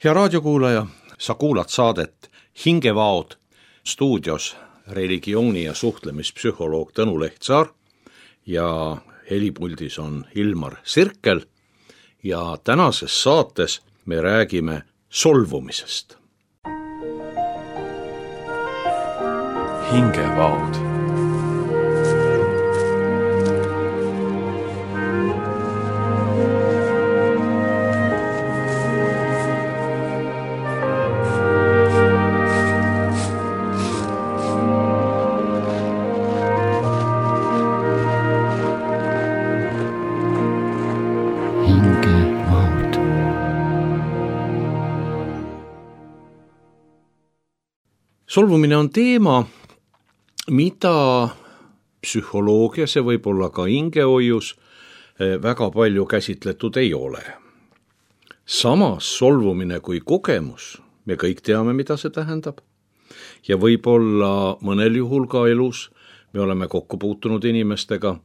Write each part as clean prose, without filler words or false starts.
Hea raadiokuulaja, sa kuulad saadet Hingevaod, stuudios religiooni- ja suhtlemispsühholoog Tõnu Lehtsaar ja helipuldis on Ilmar Sirkel ja tänases saates me räägime solvumisest. Hingevaod. Solvumine on teema, mida psühholoogias ja võib-olla ka hingehoius väga palju käsitletud ei ole. Samas solvumine kui kogemus, me kõik teame, mida see tähendab. Ja võib-olla mõnel juhul ka elus me oleme kokku puutunud inimestega,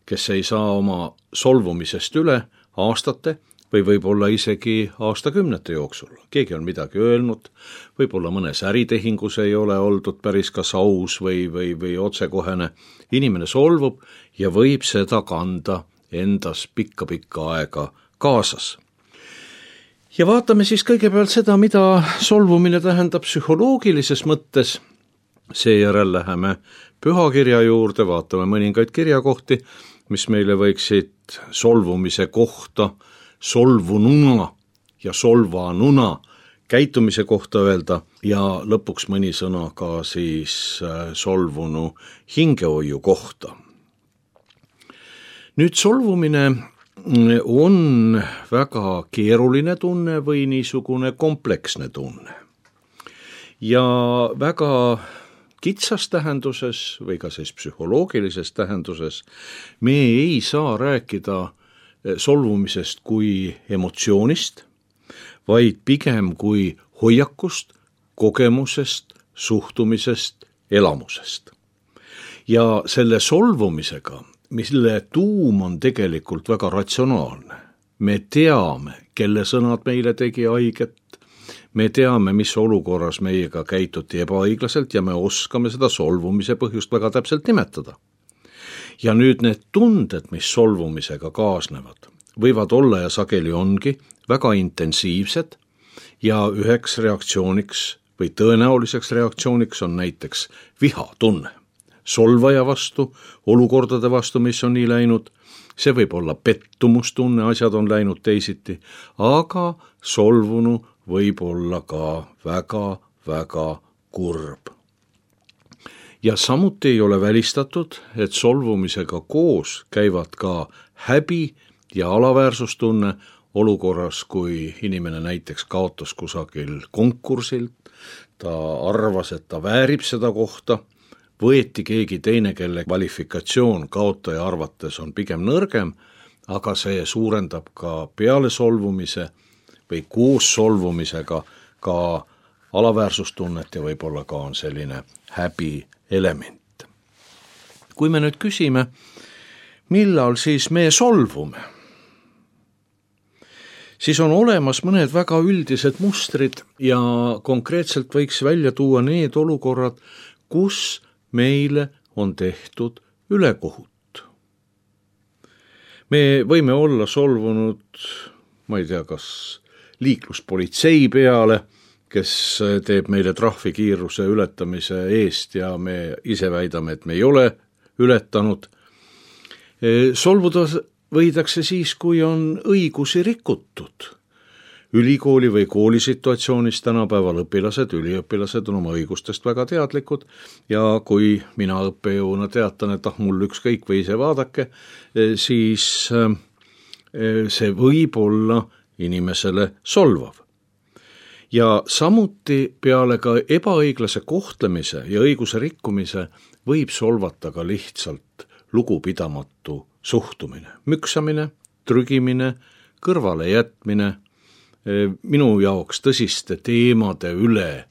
kes ei saa oma solvumisest üle aastate või võib-olla isegi aastakümnete jooksul. Keegi on midagi öelnud, võib-olla mõnes äritehingus ei ole oldud päris kas aus või otsekohene. Inimene solvub ja võib seda kanda endas pikka aega kaasas. Ja vaatame siis kõigepealt seda, mida solvumine tähendab psühholoogilises mõttes. Seejärel läheme pühakirja juurde, vaatame mõningaid kirjakohti, mis meile võiksid solvumise kohta solvununa ja solvanuna käitumise kohta öelda ja lõpuks mõni sõna ka siis solvunu hingehoiu kohta. Nüüd solvumine on väga keeruline tunne või niisugune kompleksne tunne. Ja väga kitsas tähenduses või ka siis psühholoogilises tähenduses me ei saa rääkida solvumisest kui emotsioonist, vaid pigem kui hoiakust, kogemusest, suhtumisest, elamusest. Ja selle solvumisega, mille tuum on tegelikult väga ratsionaalne. Me teame, kelle sõnad meile tegi haiget, me teame, mis olukorras meiega käituti ebaõiglaselt ja me oskame seda solvumise põhjust väga täpselt nimetada. Ja nüüd need tunded, mis solvumisega kaasnevad, võivad olla ja sageli ongi väga intensiivsed ja üheks reaktsiooniks või tõenäoliseks reaktsiooniks on näiteks vihatunne. Solvaja vastu, olukordade vastu, mis on nii läinud, see võib olla pettumustunne, asjad on läinud teisiti, aga solvunu võib olla ka väga kurb. Ja samuti ei ole välistatud, et solvumisega koos käivad ka häbi ja alaväärsustunne olukorras, kui inimene näiteks kaotas kusagil konkursilt, ta arvas, et ta väärib seda kohta, võeti keegi teine, kelle kvalifikatsioon kaotaja arvates on pigem nõrgem, aga see suurendab ka peale solvumise või koos solvumisega ka alaväärsustunnet ja võib-olla ka on selline häbi element. Kui me nüüd küsime, millal siis me solvume, siis on olemas mõned väga üldised mustrid ja konkreetselt võiks välja tuua need olukorrad, kus meile on tehtud ülekohut. Me võime olla solvunud, ma ei tea, kas liikluspolitsei peale, kes teeb meile trahvikiiruse ületamise eest ja me ise väidame, et me ei ole ületanud. Solvuda võidakse siis, kui on õigusi rikutud. Ülikooli või koolisituatsioonis tänapäeval üliõpilased on oma õigustest väga teadlikud ja kui mina õppejõuna teatan, et mul ükskõik või ise vaadake, siis see võib olla inimesele solvav. Ja samuti peale ka ebaõiglase kohtlemise ja õiguse rikkumise võib solvata ka lihtsalt lugupidamatu suhtumine, müksamine, trügimine, kõrvale jätmine, minu jaoks tõsiste teemade üle,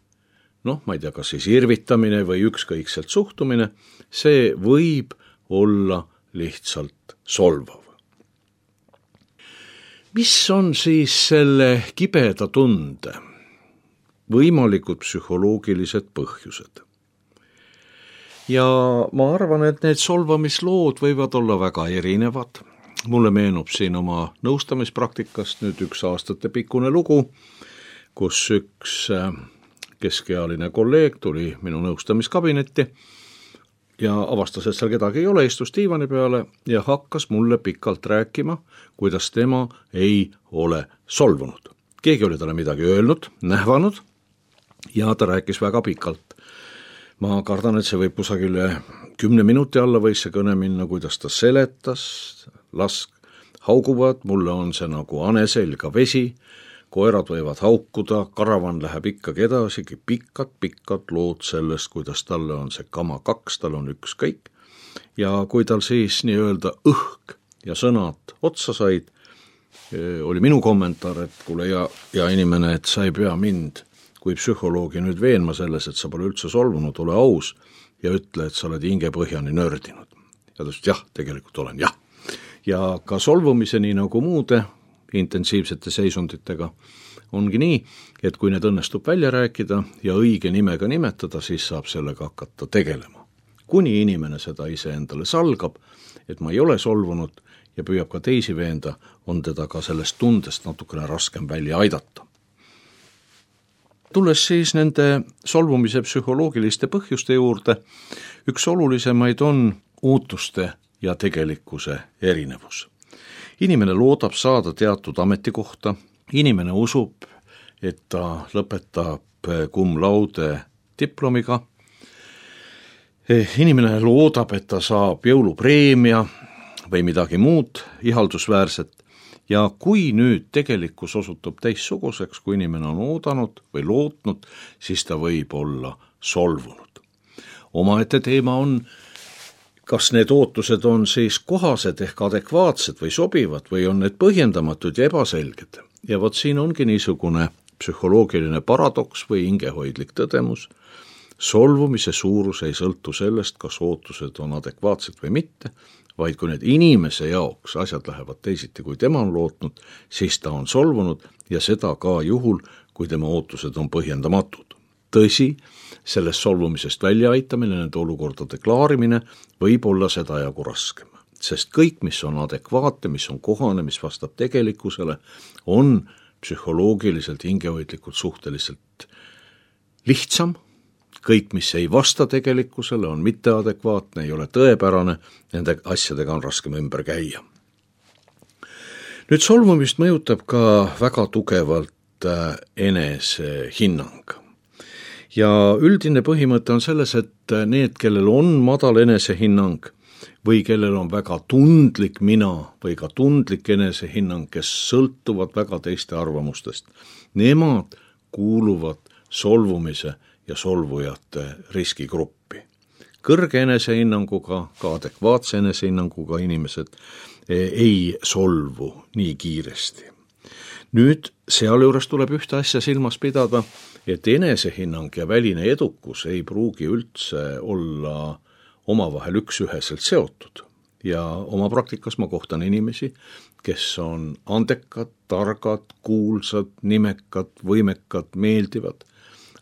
ma ei tea, kas siis irvitamine või ükskõikselt suhtumine, see võib olla lihtsalt solvav. Mis on siis selle kibeda tunde võimalikud psühholoogilised põhjused. Ja ma arvan, et need solvamislood võivad olla väga erinevad. Mulle meenub siin oma nõustamispraktikast nüüd üks aastatepikkune lugu, kus üks keskealine kolleeg tuli minu nõustamiskabinetti ja avastas, et seal kedagi ei ole, istus diivani peale ja hakkas mulle pikalt rääkima, kuidas tema ei ole solvunud. Keegi oli talle midagi öelnud, nähvanud ja ta rääkis väga pikalt. Ma kardan, et see võib kusagil 10 minuti alla võis see kõne minna, kuidas ta seletas, lask hauguvad, mulle on see nagu ane selga vesi, koerad võivad haukuda, karavan läheb ikkagi edasi, pikad lood sellest, kuidas talle on see kama 2, tal on ükskõik. Ja kui tal siis nii-öelda õhk ja sõnad otsa said, oli minu kommentaar, et kuule ja inimene, et sa ei pea mind kui psühholoogi nüüd veenma selles, et sa pole üldse solvunud, ole aus ja ütle, et sa oled hingepõhjani nördinud. Ja ta ütles, jah, tegelikult olen, jah. Ja ka solvumise nii nagu muude intensiivsete seisunditega ongi nii, et kui need õnnestub välja rääkida ja õige nimega nimetada, siis saab sellega hakata tegelema. Kuni inimene seda ise endale salgab, et ma ei ole solvunud ja püüab ka teisi veenda, on teda ka sellest tundest natukene raskem välja aidata. Tulles siis nende solvumise psühholoogiliste põhjuste juurde, üks olulisemaid on ootuste ja tegelikkuse erinevus. Inimene loodab saada teatud ametikohta, inimene usub, et ta lõpetab cum laude diplomiga, inimene loodab, et ta saab jõulupreemia või midagi muud ihaldusväärset, ja kui nüüd tegelikkus osutub teistsuguseks, kui inimene on oodanud või lootnud, siis ta võib olla solvunud. Omaette teema on, kas need ootused on siis kohased ehk adekvaatsed või sobivad või on need põhjendamatud ja ebaselged. Ja vot siin ongi niisugune psühholoogiline paradoks või hingehoidlik tõdemus. Solvumise suurus ei sõltu sellest, kas ootused on adekvaatsed või mitte, vaid kui need inimese jaoks asjad lähevad teisiti, kui tema on lootnud, siis ta on solvunud ja seda ka juhul, kui tema ootused on põhjendamatud. Tõsi, sellest solvumisest väljaaitamine, nende olukordade klaarimine võib olla seda jagu raskem, sest kõik, mis on adekvaatne, mis on kohane, mis vastab tegelikkusele, on psühholoogiliselt, hingehoidlikult suhteliselt lihtsam. Kõik, mis ei vasta tegelikkusele, on mitteadekvaatne, ei ole tõepärane, nende asjadega on raskem ümber käia. Nüüd solvumist mõjutab ka väga tugevalt enesehinnang. Ja üldine põhimõte on selles, et need, kellel on madal enesehinnang või kellel on väga tundlik mina või ka tundlik enesehinnang, kes sõltuvad väga teiste arvamustest, nemad kuuluvad solvumise ja solvujate riskigruppi. Kõrge enesehinnanguga, ka adekvaatse enesehinnanguga inimesed ei solvu nii kiiresti. Nüüd sealjuures tuleb ühte asja silmas pidada, et enesehinnang ja väline edukus ei pruugi üldse olla omavahel üksüheselt seotud. Ja oma praktikas ma kohtan inimesi, kes on andekad, targad, kuulsad, nimekad, võimekad, meeldivad,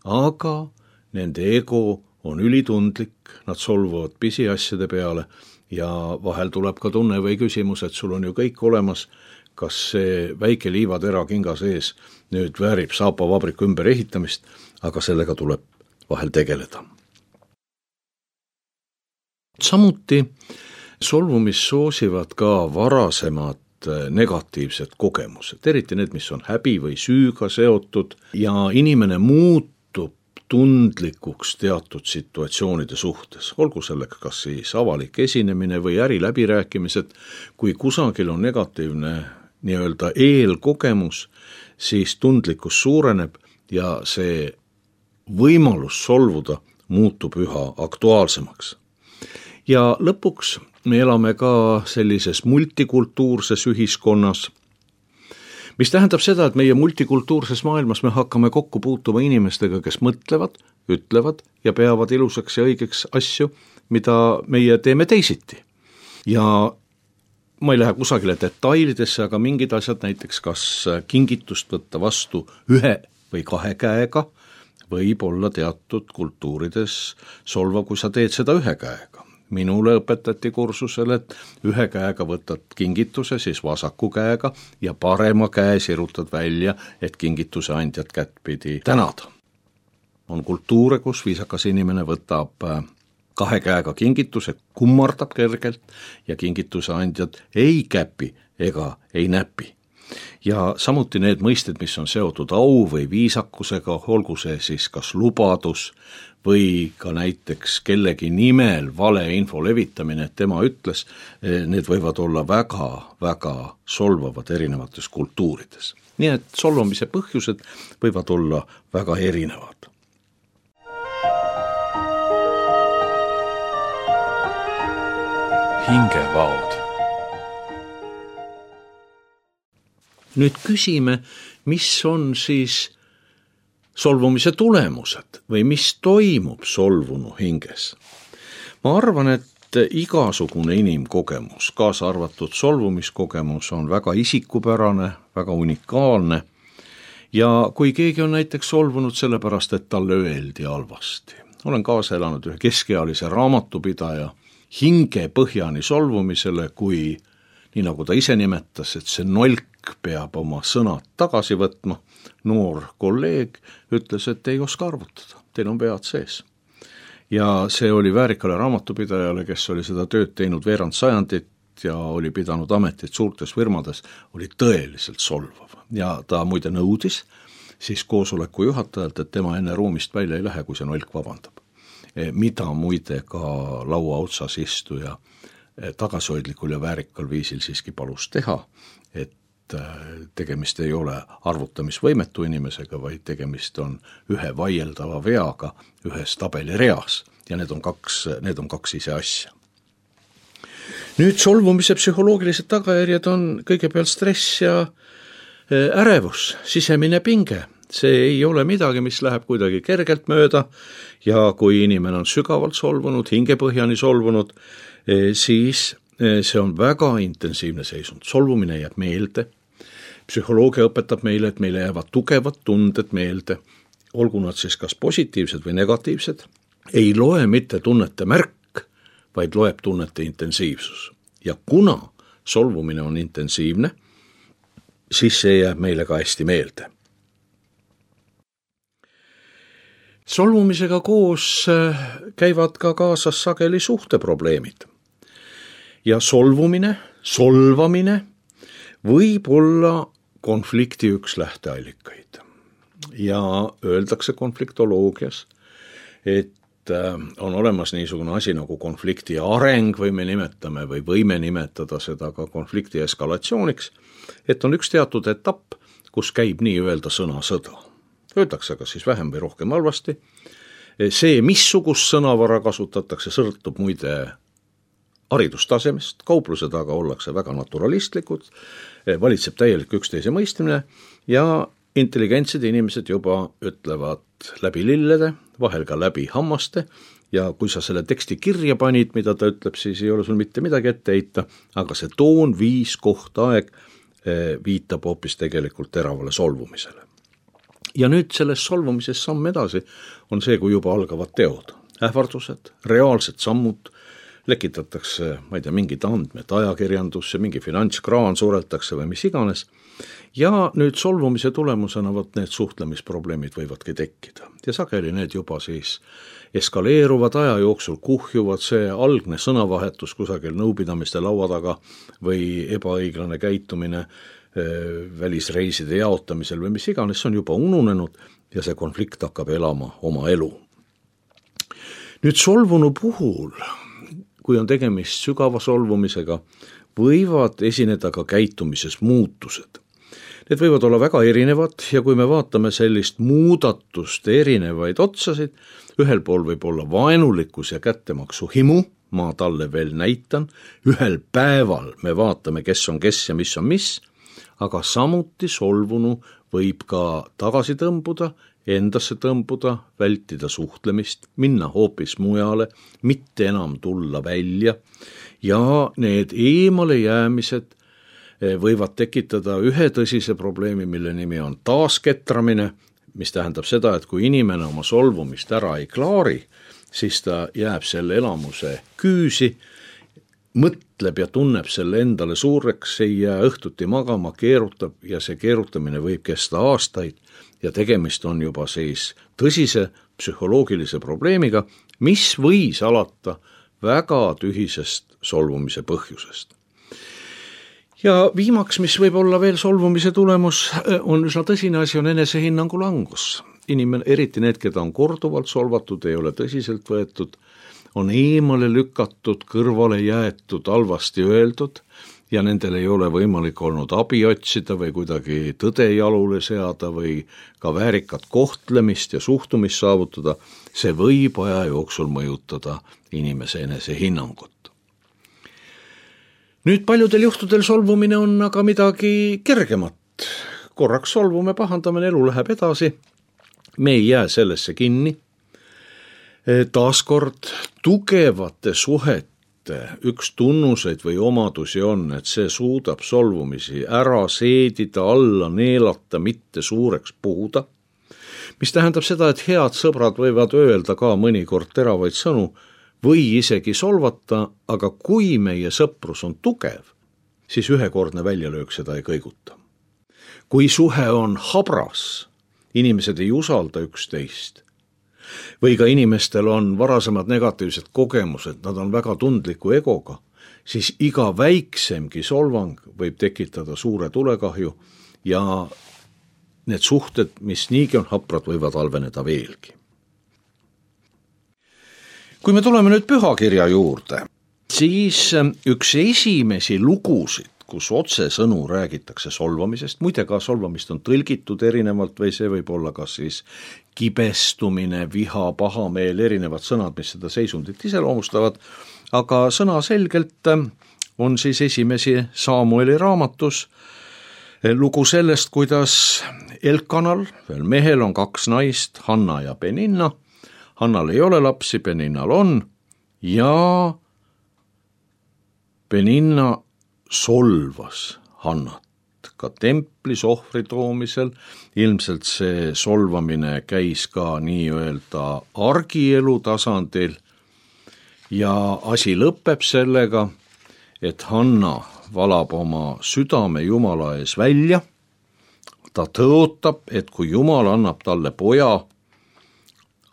aga nende ego on ülitundlik, nad solvuvad pisiasjade peale ja vahel tuleb ka tunne või küsimus, et sul on ju kõik olemas, kas see väike liivatera kinga sees nüüd väärib saapavabriku ümber ehitamist, aga sellega tuleb vahel tegeleda. Samuti solvumist soosivad ka varasemad negatiivsed kogemused, eriti need, mis on häbi või süüga seotud ja inimene muutub tundlikuks teatud situatsioonide suhtes, olgu selleks kas siis avalik esinemine või äriläbirääkimised, kui kusagil on negatiivne nii-öelda eelkogemus, siis tundlikkus suureneb ja see võimalus solvuda muutub üha aktuaalsemaks. Ja lõpuks me elame ka sellises multikultuurses ühiskonnas, mis tähendab seda, et meie multikultuurses maailmas me hakkame kokku puutuma inimestega, kes mõtlevad, ütlevad ja peavad ilusaks ja õigeks asju, mida meie teeme teisiti. Ja ma ei lähe kusagile detailidesse, aga mingid asjad näiteks kas kingitust võtta vastu 1 või 2 käega, võib olla teatud kultuurides solvav, kui sa teed seda ühe käega. Minule õpetati kursusel, et ühe käega võtad kingituse, siis vasaku käega ja parema käe sirutad välja, et kingituse andjat kättpidi tänada. On kultuure, kus viisakas inimene võtab kahe käega kingituse, kummardab kergelt ja kingituse andjad ei käpi ega ei näpi. Ja samuti need mõisted, mis on seotud au või viisakusega, olgu see siis kas lubadus või ka näiteks kellegi nimel valeinfo levitamine, et tema ütles, need võivad olla väga solvavad erinevates kultuurides. Nii et solvamise põhjused võivad olla väga erinevad. Hingevaod. Nüüd küsime, mis on siis solvumise tulemused või mis toimub solvunu hinges. Ma arvan, et igasugune inimkogemus, kaasa arvatud solvumiskogemus, on väga isikupärane, väga unikaalne ja kui keegi on näiteks solvunud sellepärast, et talle öeldi halvasti. Olen kaasa elanud ühe keskealise raamatupidaja hingepõhjani solvumisele, kui nii nagu ta ise nimetas, et see nolk peab oma sõnad tagasi võtma. Noor kolleeg ütles, et ei oska arvutada, teil on pead sees. Ja see oli väärikale raamatupidajale, kes oli seda tööd teinud veerand sajandit ja oli pidanud ametit suurtes firmades, oli tõeliselt solvav. Ja ta muide nõudis siis koosoleku juhatajalt, et tema enne ruumist välja ei lähe, kui see nolk vabandab. Mida muide ka laua otsas istuja tagasihoidlikul ja väärikal viisil siiski palus teha, et tegemist ei ole arvutamisvõimetu inimesega, vaid tegemist on ühe vaieldava veaga ühes tabelireas ja need on kaks ise asja. Nüüd solvumise psühholoogilised tagajärjed on kõigepealt stress ja ärevus, sisemine pinge. See ei ole midagi, mis läheb kuidagi kergelt mööda ja kui inimene on sügavalt solvunud, hingepõhjani solvunud, siis see on väga intensiivne seisund. Solvumine jääb meelde. Psühholoogia õpetab meile, et meile jäävad tugevad tunded meelde, olgu nad siis kas positiivsed või negatiivsed. Ei loe mitte tunnete märk, vaid loeb tunnete intensiivsus. Ja kuna solvumine on intensiivne, siis see jääb meile ka hästi meelde. Solvumisega koos käivad ka kaasas sageli suhteprobleemid. Ja solvamine võib olla konflikti üks lähteallikaid. Ja öeldakse konfliktoloogias, et on olemas niisugune asi nagu konflikti areng või võime nimetada seda ka konflikti eskalatsiooniks, et on üks teatud etapp, kus käib nii-öelda sõnasõda. Öeldakse ka siis vähem või rohkem halvasti. See, missugust sõnavara kasutatakse, sõltub muide haridustasemest, kauplused aga ollakse väga naturalistlikud, valitseb täielik üksteise mõistmine ja intelligentsed inimesed juba ütlevad läbi lillede, vahel ka läbi hammaste ja kui sa selle teksti kirja panid, mida ta ütleb, siis ei ole sul mitte midagi ette heita, aga see toon, viis, koht, aeg viitab hoopis tegelikult teravale solvumisele. Ja nüüd selles solvumises samm edasi on see, kui juba algavad teod, ähvardused, reaalsed sammud, lekitatakse, ma ei tea, mingid andmed ajakirjandusse, mingi finantskraan suretakse või mis iganes. Ja nüüd solvumise tulemusena need suhtlemisprobleemid võivadki tekkida. Ja sageli need juba siis eskaleeruvad aja jooksul, kuhjuvad, see algne sõnavahetus kusagil nõupidamiste laua taga või ebaõiglane käitumine välisreiside jaotamisel või mis iganes, see on juba ununenud ja see konflikt hakkab elama oma elu. Nüüd solvunu puhul, kui on tegemist sügava solvumisega, võivad esineda ka käitumises muutused. Need võivad olla väga erinevad ja kui me vaatame sellist muudatust erinevaid otsasid, ühel pool võib olla vaenulikkus ja kättemaksu himu, ma talle veel näitan, ühel päeval me vaatame, kes on kes ja mis on mis, aga samuti solvunu võib ka tagasi tõmbuda, endasse tõmbuda, vältida suhtlemist, minna hoopis mujale, mitte enam tulla välja ja need eemale jäämised võivad tekitada ühe tõsise probleemi, mille nimi on taasketramine, mis tähendab seda, et kui inimene oma solvumist ära ei klaari, siis ta jääb selle elamuse küüsi, mõtleb ja tunneb selle endale suureks, ei jää õhtuti magama, keerutab ja see keerutamine võib kesta aastaid ja tegemist on juba siis tõsise psühholoogilise probleemiga, mis võis alata väga tühisest solvumise põhjusest. Ja viimaks, mis võib olla veel solvumise tulemus, on üsna tõsine asi, on enesehinnangu langus. Inimene, eriti need, keda on korduvalt solvatud, ei ole tõsiselt võetud, on eemale lükatud, kõrvale jäetud, halvasti öeldud ja nendel ei ole võimalik olnud abi otsida või kuidagi tõde jalule seada või ka väärikat kohtlemist ja suhtumist saavutada, see võib aja jooksul mõjutada inimese enesehinnangut. Nüüd paljudel juhtudel solvumine on aga midagi kergemat. Korraks solvume, pahandame, elu läheb edasi. Me ei jää sellesse kinni. Taaskord tugevate suhete üks tunnuseid või omadusi on, et see suudab solvumisi ära seedida, alla neelata, mitte suureks puhuda. Mis tähendab seda, et head sõbrad võivad öelda ka mõnikord teravaid sõnu, või isegi solvata, aga kui meie sõprus on tugev, siis ühekordne väljalöök seda ei kõiguta. Kui suhe on habras, inimesed ei usalda üksteist, või ka inimestel on varasemad negatiivsed kogemused, nad on väga tundliku egoga, siis iga väiksemgi solvang võib tekitada suure tulekahju ja need suhted, mis niigi on haprad, võivad halveneda veelgi. Kui me tuleme nüüd pühakirja juurde, siis üks esimesi lugusid, kus otsesõnu räägitakse solvamisest, muide ka solvamist on tõlgitud erinevalt või see võib olla kas siis kibestumine, viha, pahameel, erinevad sõnad, mis seda seisundit iseloomustavad, aga sõnaselgelt on siis esimesi Samueli raamatus lugu sellest, kuidas Elkanal, veel mehel on 2 naist, Hanna ja Peninna. Hannal ei ole lapsi, Peninnal on ja Peninna solvas Hannat ka templis ohvri toomisel. Ilmselt see solvamine käis ka nii-öelda argielu tasandil ja asi lõpeb sellega, et Hanna valab oma südame Jumala ees välja. Ta tõotab, et kui Jumal annab talle poja,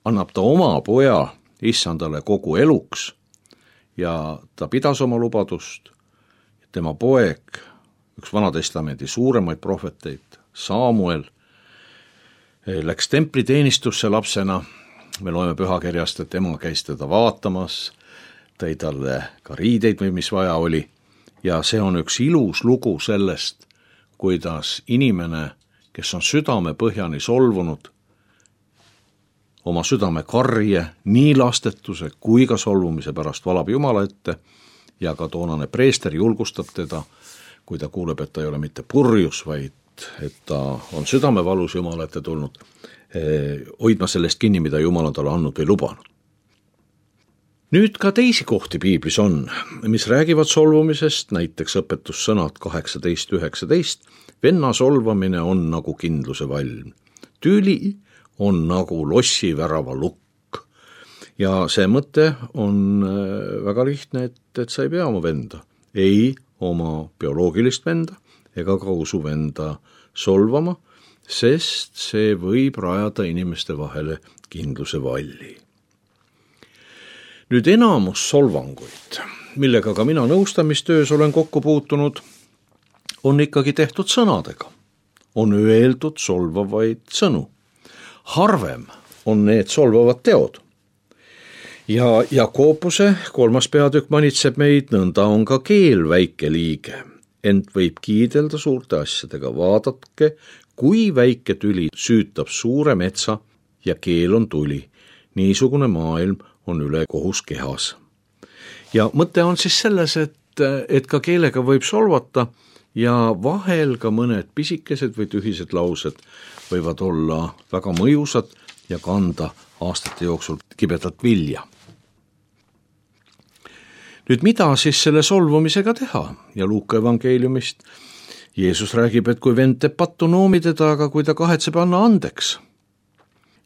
annab ta oma poja issandale kogu eluks ja ta pidas oma lubadust. Tema poeg, üks Vanatestamendi suuremaid prohveteid, Samuel, läks templiteenistusse lapsena. Me loeme pühakirjast, et ema käis teda vaatamas, tõi talle ka riideid või mis vaja oli. Ja see on üks ilus lugu sellest, kuidas inimene, kes on südame põhjani solvunud, oma südame karje nii lastetuse kui ka solvumise pärast valab Jumala ette ja ka toonane preester julgustab teda, kui ta kuuleb, et ta ei ole mitte purjus, vaid et ta on südamevalus Jumala ette tulnud, hoidma sellest kinni, mida Jumal on talle andnud või lubanud. Nüüd ka teisi kohti piiblis on, mis räägivad solvumisest, näiteks õpetussõnad 18:19. Venna solvamine on nagu kindluse valm. Tüli on nagu lossivärava lukk. Ja see mõte on väga lihtne, et sa ei pea oma venda, ei oma bioloogilist venda ega ka usuvenda solvama, sest see võib rajada inimeste vahele kindluse valli. Nüüd enamus solvanguid, millega ka mina nõustamistöös olen kokku puutunud, on ikkagi tehtud sõnadega. On öeldud solvavaid sõnu. Harvem on need solvavad teod. Ja Jakobuse 3. peatükk manitseb meid, nõnda on ka keel väike liige, ent võib kiidelda suurte asjadega. Vaadatke, kui väike tüli süütab suure metsa ja keel on tuli. Niisugune maailm on üle kohus kehas. Ja mõte on siis selles, et ka keelega võib solvata ja vahel ka mõned pisikesed või tühised laused võivad olla väga mõjusad ja kanda aastate jooksul kibedat vilja. Nüüd mida siis selle solvumisega teha? Ja Luuka evangeeliumist. Jeesus räägib, et kui vend teeb pattu, noomi teda, aga kui ta kahetseb, anna andeks.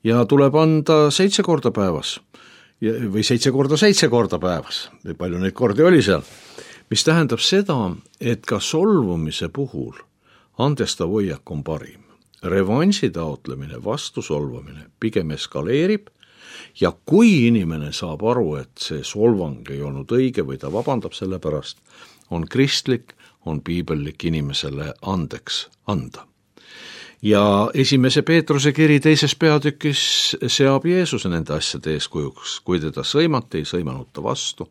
ja tuleb anda 7 korda päevas või 7 korda päevas, või palju neid kordi oli seal, mis tähendab seda, et ka solvumise puhul andestav hoiak on parim. Revansi taotlemine, vastusolvamine pigem eskaleerib ja kui inimene saab aru, et see solvang ei olnud õige või ta vabandab selle pärast, on kristlik, on piibellik inimesele andeks anda. Ja 1. Peetruse kiri 2. peatükis seab Jeesuse nende asjade eeskujuks, kui teda sõimati, ei sõimanud ta vastu,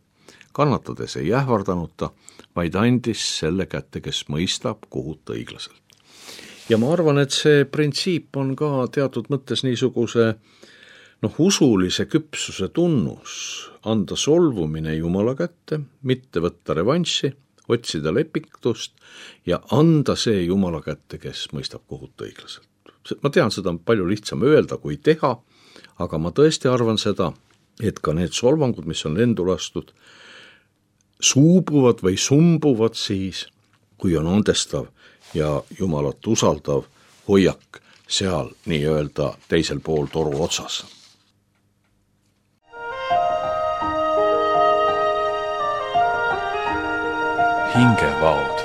kannatades ei ähvardanud ta, vaid andis selle kätte, kes mõistab kohut õiglaselt. Ja ma arvan, et see printsiip on ka teatud mõttes niisuguse usulise küpsuse tunnus, anda solvumine Jumala kätte, mitte võtta revanssi, otsida lepitust ja anda see Jumala kätte, kes mõistab kohut õiglaselt. Ma tean, seda on palju lihtsam öelda kui teha, aga ma tõesti arvan seda, et ka need solvangud, mis on lendu lastud, suubuvad või sumbuvad siis, kui on andestav ja Jumalat usaldav hoiak seal nii-öelda teisel pool toru otsas. Hingevaod.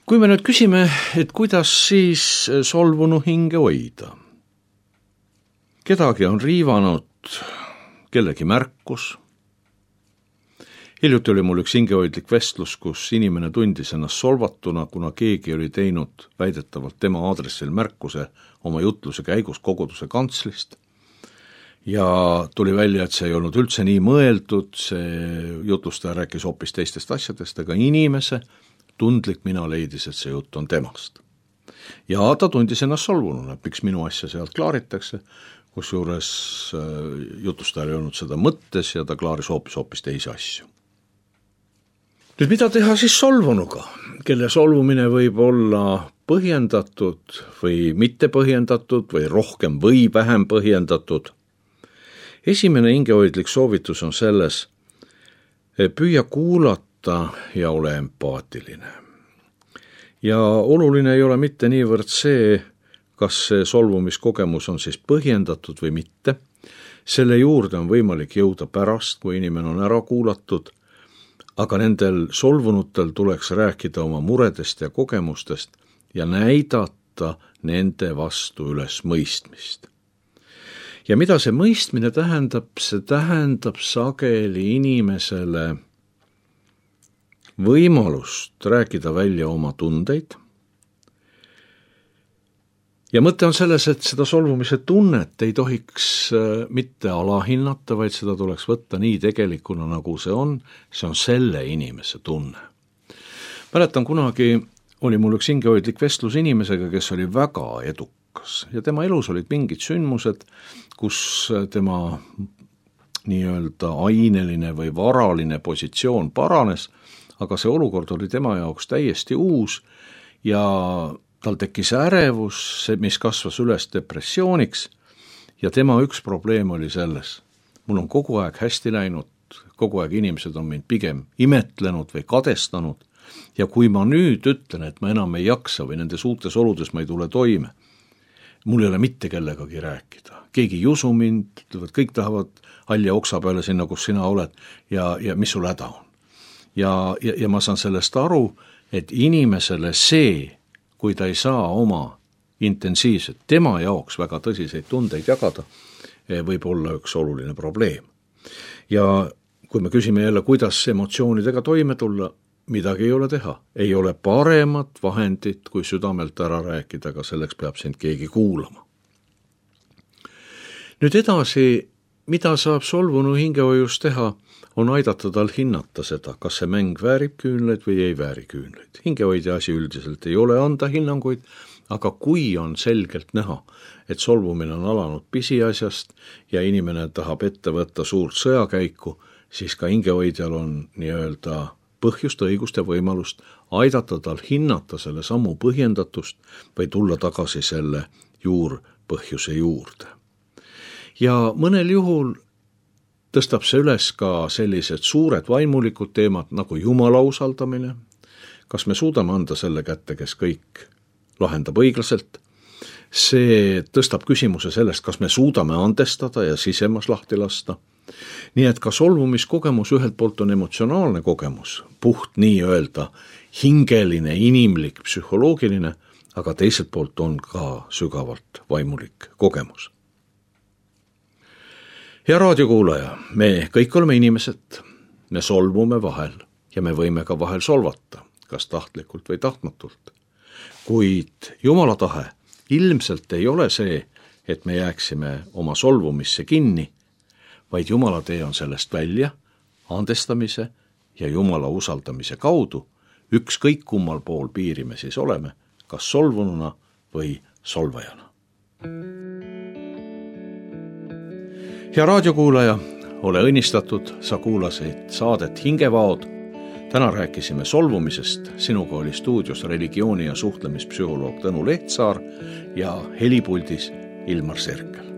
Kui me nüüd küsime, et kuidas siis solvunu hinge hoida? Kedagi on riivanud kellegi märkus. Hiljuti oli mul üks hingehoidlik vestlus, kus inimene tundis ennast solvatuna, kuna keegi oli teinud väidetavalt tema aadressil märkuse oma jutluse käigus koguduse kantslist. Ja tuli välja, et see ei olnud üldse nii mõeldud, see jutlustaja rääkis hoopis teistest asjadest, aga inimese tundlik mina leidis, et see jutt on temast. Ja ta tundis ennast solvununa, et miks minu asja sealt klaaritakse, kusjuures jutlustajal ei olnud seda mõttes ja ta klaaris hoopis teisi asju. Nüüd mida teha siis solvunuga, kelle solvumine võib olla põhjendatud või mitte põhjendatud või rohkem või vähem põhjendatud? Esimene hingehoidlik soovitus on selles, püüa kuulata ja ole empaatiline. Ja oluline ei ole mitte niivõrd see, kas see solvumiskogemus on siis põhjendatud või mitte. Selle juurde on võimalik jõuda pärast, kui inimene on ära kuulatud, aga nendel solvunutel tuleks rääkida oma muredest ja kogemustest ja näidata nende vastu üles mõistmist. Ja mida see mõistmine tähendab? See tähendab sageli inimesele võimalust rääkida välja oma tundeid. Ja mõte on selles, et seda solvumise tunnet ei tohiks mitte alahinnata, vaid seda tuleks võtta nii tegelikuna, nagu see on selle inimese tunne. Mäletan, kunagi oli mul üks hingehoidlik vestlus inimesega, kes oli väga edukas ja tema elus olid mingid sündmused, kus tema nii-öelda aineline või varaline positsioon paranes, aga see olukord oli tema jaoks täiesti uus ja tal tekkis ärevus, mis kasvas üles depressiooniks ja tema üks probleem oli selles. Mul on kogu aeg hästi läinud, kogu aeg inimesed on mind pigem imetlenud või kadestanud ja kui ma nüüd ütlen, et ma enam ei jaksa või nendes uutes oludes ma ei tule toime, mul ei ole mitte kellegagi rääkida. Keegi ei usu mind, kõik tahavad halja oksa peale sinna, kus sina oled ja mis sul häda on. Ja ma saan sellest aru, et inimesele see, kui ta ei saa oma intensiivset, tema jaoks väga tõsiseid tundeid jagada, võib olla üks oluline probleem. Ja kui me küsime jälle, kuidas emotsioonidega toime tulla, midagi ei ole teha. Ei ole paremat vahendit, kui südamelt ära rääkida, aga selleks peab sind keegi kuulama. Nüüd edasi, mida saab solvunu hingehoius teha, on aidata tal hinnata seda, kas see mäng väärib küünleid või ei vääri küünleid. Hingehoidja asi üldiselt ei ole anda hinnanguid, aga kui on selgelt näha, et solvumine on alanud pisiasjast ja inimene tahab ette võtta suurt sõjakäiku, siis ka hingehoidjal on nii-öelda põhjust, õigust ja võimalust aidata tal hinnata selle sammu põhjendatust või tulla tagasi selle juurpõhjuse juurde. Ja mõnel juhul tõstab see üles ka sellised suured vaimulikud teemad nagu Jumala usaldamine. Kas me suudame anda selle kätte, kes kõik lahendab õiglaselt? See tõstab küsimuse sellest, kas me suudame andestada ja sisemas lahti lasta. Nii et ka solvumiskogemus ühelt poolt on emotsionaalne kogemus, puht nii öelda hingeline, inimlik, psühholoogiline, aga teiselt poolt on ka sügavalt vaimulik kogemus. Hea raadiokuulaja, me kõik oleme inimesed, me solvume vahel ja me võime ka vahel solvata, kas tahtlikult või tahtmatult. Kuid Jumala tahe ilmselt ei ole see, et me jääksime oma solvumisse kinni, vaid Jumala tee on sellest välja, andestamise ja Jumala usaldamise kaudu, ükskõik kummal pool piiri me siis oleme, kas solvununa või solvajana. Hea raadiokuulaja, ole õnnistatud, sa kuulasid saadet Hingevaod. Täna rääkisime solvumisest, sinuga oli stuudios religiooni- ja suhtlemispsühholoog Tõnu Lehtsaar ja helipuldis Ilmar Serkel.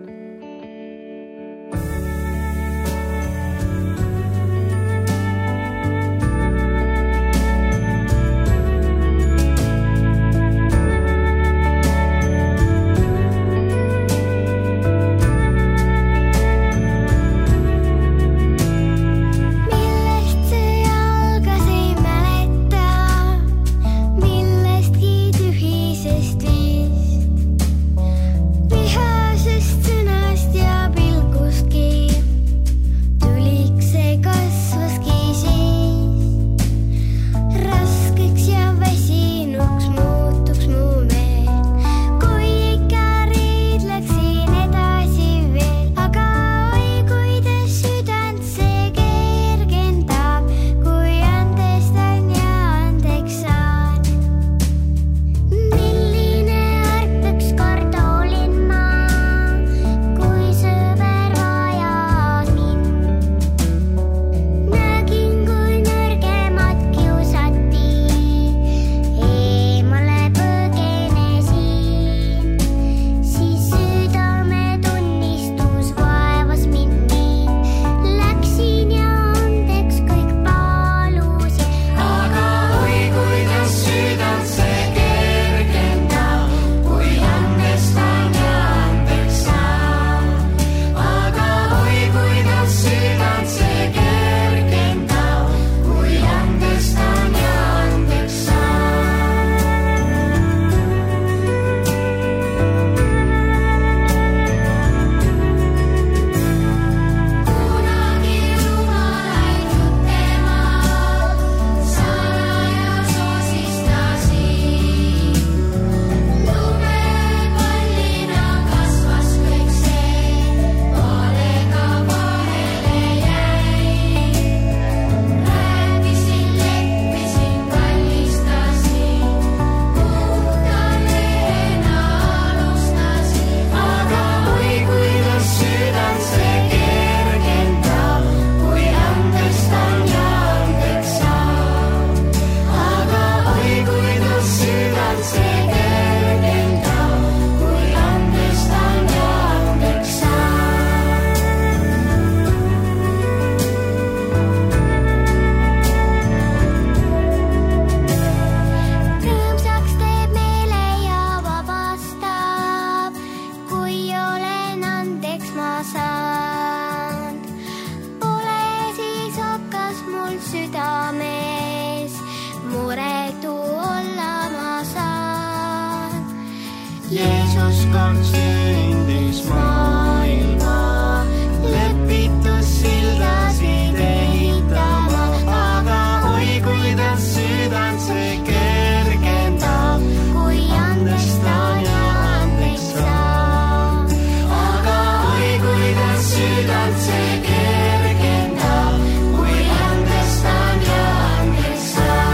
Jeesus kord sündis maailma, lepitus sildasid ehitama, aga oi kuidas südant see kergendab, kui andestan ja andeks saan. Aga oi kuidas südant see kergendab, kui andestan ja andeks saan.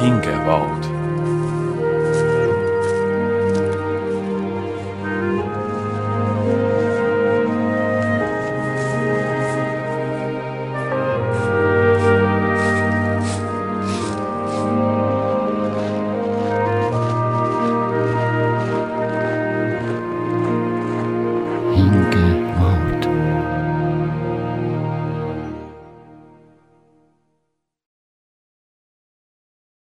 Hingevaod.